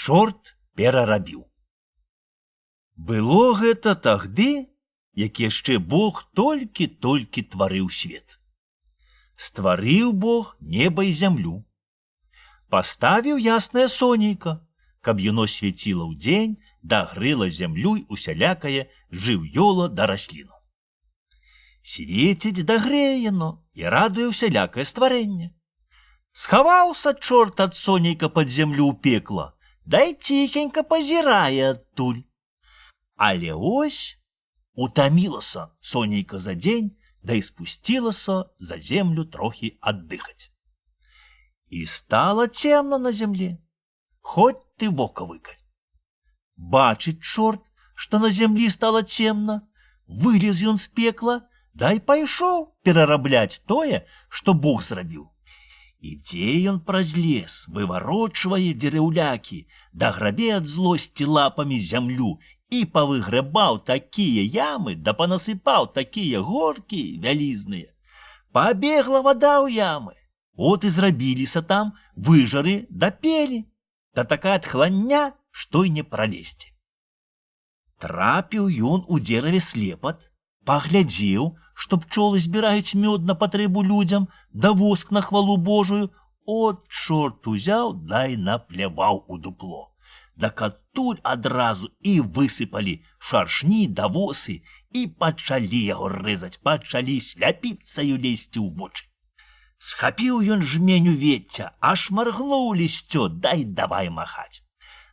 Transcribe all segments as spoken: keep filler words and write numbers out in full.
чорт перарабіў. Было гэта тагды, як яшчэ Бог толькі-толькі тварыў свет. Стварыў Бог неба і зямлю. Паставіў яснае сонейка, каб яно свяціла ўдзень, да грэла зямлю і усялякае жыўёла да расліну. Свеціць да грэе яно і радуе усялякае стварэнне. Схаваўся чорт ад сонейка пад зямлю ў пекла, да і ціхенька пазірае адтуль. Але ось утамілася сонейка за дзень, да і спусцілася за землю трохі аддыхаць. І стала цемна на зямле, хоць ты вока выкаль. Бачыць чорт, што на зямлі стала цемна, вылез ён з пекла, да і пайшоў перарабляць тое, што Бог зрабіў. Ідзе ён праз лес, выварочвае дзерэўлякі, да грабе ад злосці лапамі зямлю і павыграбаў такія ямы, да панасыпаў такія горкі вялізныя. Пабегла вада ў ямы, от і зрабіліся там выжары да пелі, да такая тхлання, што й не пралезці. Трапіў ён у дзераве слепат, паглядзеў, што пчолы збіраюць мёд на патрэбу людзям, да воск на хвалу Божую, от чорт узяў, да і напляваў у дупло. Так адтуль адразу і высыпалі шаршні да восы і пачалі яго рэзаць, пачалі сляпіцаю лезці ў вочы. Схапіў ён жменю вецця, аж маргнуў лісцё, дай давай махаць.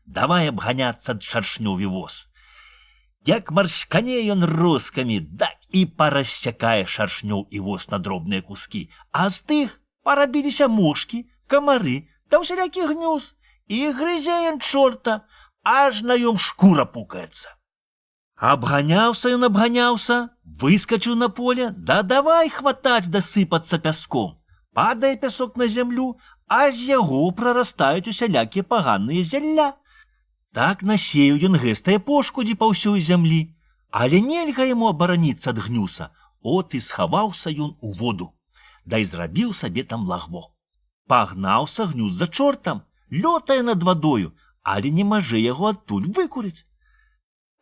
Давай абганяцца ад шаршнёві воз. Як марскане ён роскамі, так і парасцякае шаршнёў і воз на дробныя кускі, а з тых парабіліся мошкі, камары да ўсялякі гнёз. І грызе ён чорта, аж на ём шкура пукаецца. Абганяўся ён абганяўся, выскачыў на поле, да давай хватаць да сыпацца пяском. Падае пясок на зямлю, а з яго прарастаюць усялякія паганыя зялля. Так насеяў ён гэстае пошкудзі па ўсёй зямлі, але нельга яму абараніцца ад гнюса, от і схаваўся ён у воду, да і зрабіў сабе там лагво. Пагнаўся гнюс за чортам, лётае над вадою, але не мажэ яго адтуль выкурыць.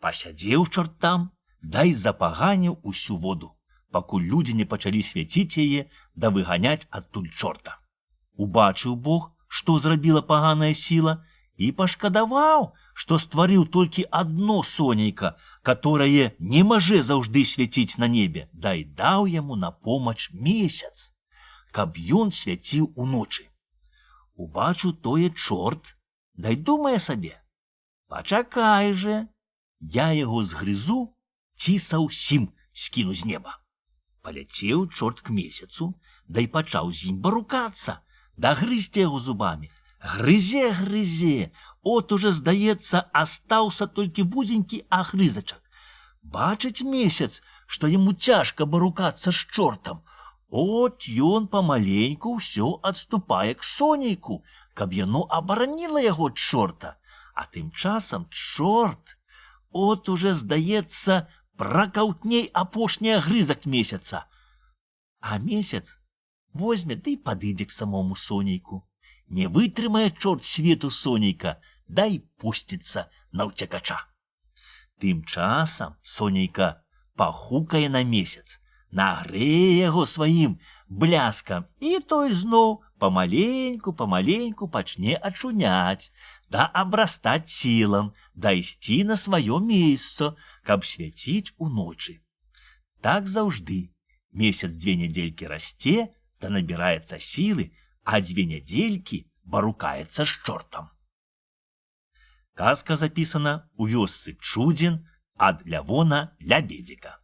Пасядзеў чорт там, да і запаганіў усю воду, пакуль людзі не пачалі свяціць яе да выганяць адтуль чорта. Убачыў Бог, што зрабіла паганая сіла, і пашкадаваў, што стварыў толькі адно сонейка, которое не мажэ заўжды свяціць на небе, да і даў яму на помач месяц, каб ён свяціў уночы. Убачыў тое чорт, да й думае сабе: пачакай же, я яго згрызу, ці саўсім скіну з неба. Паляцеў чорт к месяцу, да й пачаў з ім барукацца, да грызці яго зубамі. Грызе, грызе, от уже, здаецца, астаўся толькі вузенькі агрызачак. Бачыць месяц, што яму цяжка барукацца з чортам. От ён памаленьку ўсё адступае к сонейку, каб яно абараніла яго ад чорта. А тым часам чорт, от уже, здаецца, пракаўтней апошні агрызак месяца. А месяц возьме ды і падыдзе к самому сонейку. Не вытрымае чорт свету сонейка, да і пусціцца на ўцякача. Тым часам сонейка пахукае на месяц, нагрэе яго сваім бляскам, і той зноў памаленьку-памаленьку пачне ачуняць, да абрастаць сілам, да ісці на сваё месца, каб свяціць уночы. Так заўжды месяц дзве нядзелькі расце, да набіраецца сілы, а дзве нядзелькі барукаецца з чортам. Казка запісана ў вёсцы Чудзін ад Лявона Лябедзіка.